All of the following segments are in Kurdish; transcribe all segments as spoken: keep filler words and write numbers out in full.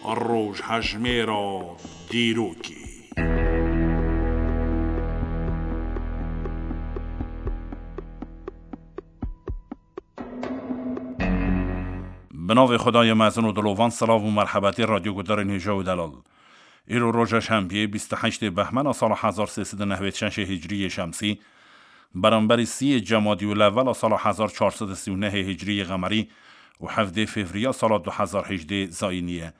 Rojhejmêra dîrokê. Bi navê Xwedayê mezin û dilovan, silav û merhebetê radyoguhdarên hêja û delal. Îro roja şembiyê, bîst û heştê behmena sala hezar sê sed û nehwêd şeşê hicriyê şemsî, beramberî siyê cemadî û levela sala hezar çar sed û sî û nehê hicriyê qemerî û hevdê fevriya sala du hezar hejdê zayînî ye.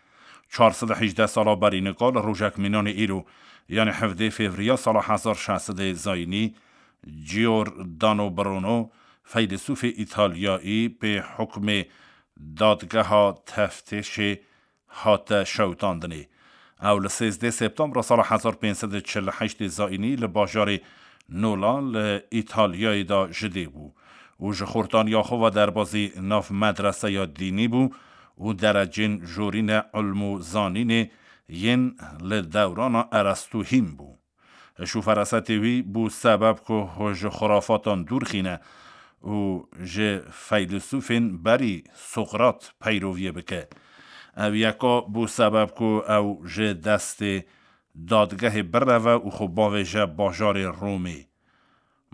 Çar sed û hejdeh sala berî nika li rojek mînanê îro, yanî hevdê fevriya sala hezar şeş sedê zayînî, Giordano Bruno, feylisûfê Îtalyayî, pê hukmê dadgeha teftêşê hate şewitandinê. Ew li sêzdeh septembra sala hezar pênc sed û çil û heştê zayînî li bajarê Nola li Îtalyayê de ji dê bû û ji xortaniya xwe ve derbazî nav medreseya dînî bû û derecên jorîne ilm û zanînê yên li dewrana Erestû hîn bû. Şûferesetê wî bû sebeb ku ji xurafatan dûr xîne û ji feylisûfên berî Sokrat peyroviyê bike. Ev yeka bû sebeb ku ew ji destê dadgehê bireve û xwe bavêje bajarê Romê.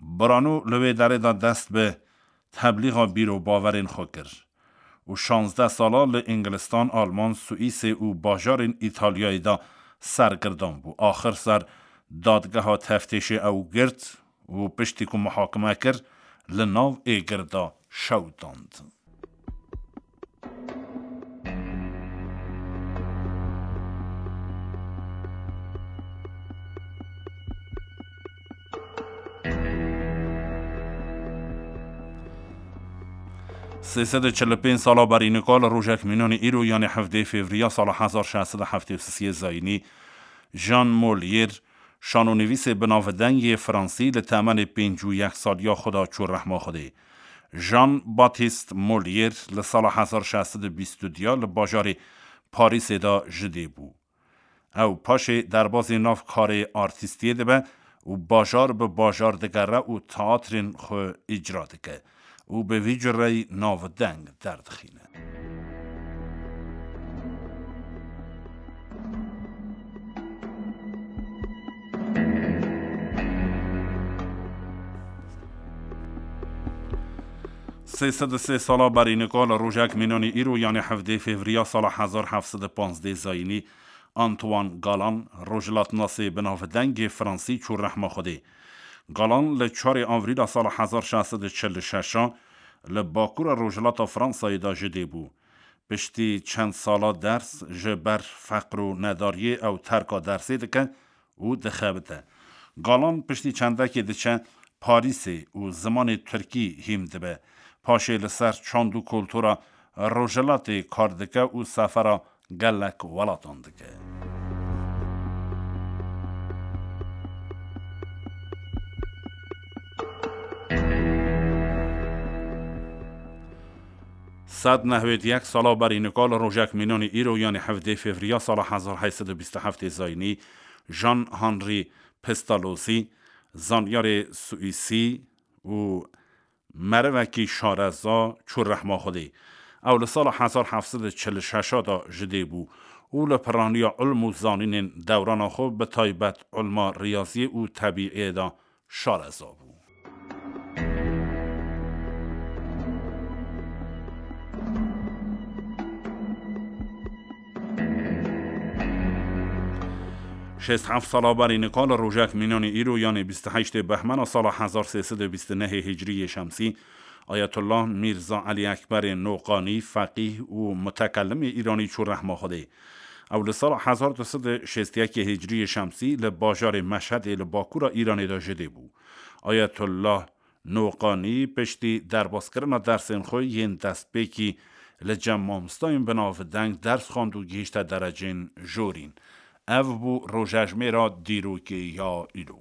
Brano li wê derê de dest bi teblîxa bîr û bawerên xwe kir û şazdeh sala li Îngilistan, Alman, Swîsê û bajarên Îtalyayê de sergirdan bû. Axir ser dadgeha teftêşê ew girt û piştî ku muhakime kir, li nav êgir de şewitand. Sê sed û çil û pênc sala berî nika li rojek mînanê îro, yanê hevdê fevriya sala hezar şeş sed û heftê û sisê zayînî, Jean Molière, şanonivîsê binavdeng yê fransî, li temenê pêncî û yek saliya xwe de çû rehma Xwedê. Jean Baptiste Molière li sala hezar şeş sed û bîst û duya li bajarê Parîsê de ji dê bû. Ew paşê derbazî nav karê artîstiyê dibe û bajar bi bajar digere û teatrên xwe îcra dike û bi vî cureyî navdeng derdixîne. Sê sed û sê sala berî nika li rojek mînanî îro, yanê hevdê fevriya sala hezar heft sed û panzdeh zayînî, Antoine Galan, rojhilatnasê binavdengê fransî, çû rehma Xwedê. Galan li çarê avrîla sala hezar şeş sed û çil û şeş a li bakura rojhilata Fransayê de ji dê bû. Piştî çend sala ders ji ber feqr û nedariyê ew terka dersê dike û dixebite. Galan piştî çendekê diçe Parîsê û zimanê tirkî hîm dibe. Paşê li ser çand û kultura rojhilatê kar dike û sefera gelek welatan dike. Sed nehwêd yek sala berî nika li rojek mînanî îro, yanî hevdê fevriya sala hezar heyt sed û bîst û heftê zayînî, Jean Henri Pestalozzi, zanyarê Swîsî û merivekî şareza, çû rehma Xwedê. Ew li sala hezar heft sed û çil û şeş a de ji dê bû û li piraniya ilm û zanînên dewrana xwe, bi taybet ilma riyaziyê û tebîiyê de şareza bû. Şêst heft sala berî nika li rojek mînanî îro, yanê bîst û heştê behmena sala hezar sê sed û bîst û nehê hicriyê şemsî, Ayetullah Mîrza Elî Ekberê Noqanî, feqîh û mutekelimê îranî, çû rehma Xwedê. Ew li sala hezar du sed û şêst û yekê hicriyê şemsî li bajarê Meşhedê li bakura Îranê de ji dê bû. Ayetullah Noqanî piştî derbazkirina dersên xwe yên destpêkî li cem mamostayên binavdeng ders xwend û gihîşte derecên jorîn. Ev bû rojejmêra dîrokê ya îro.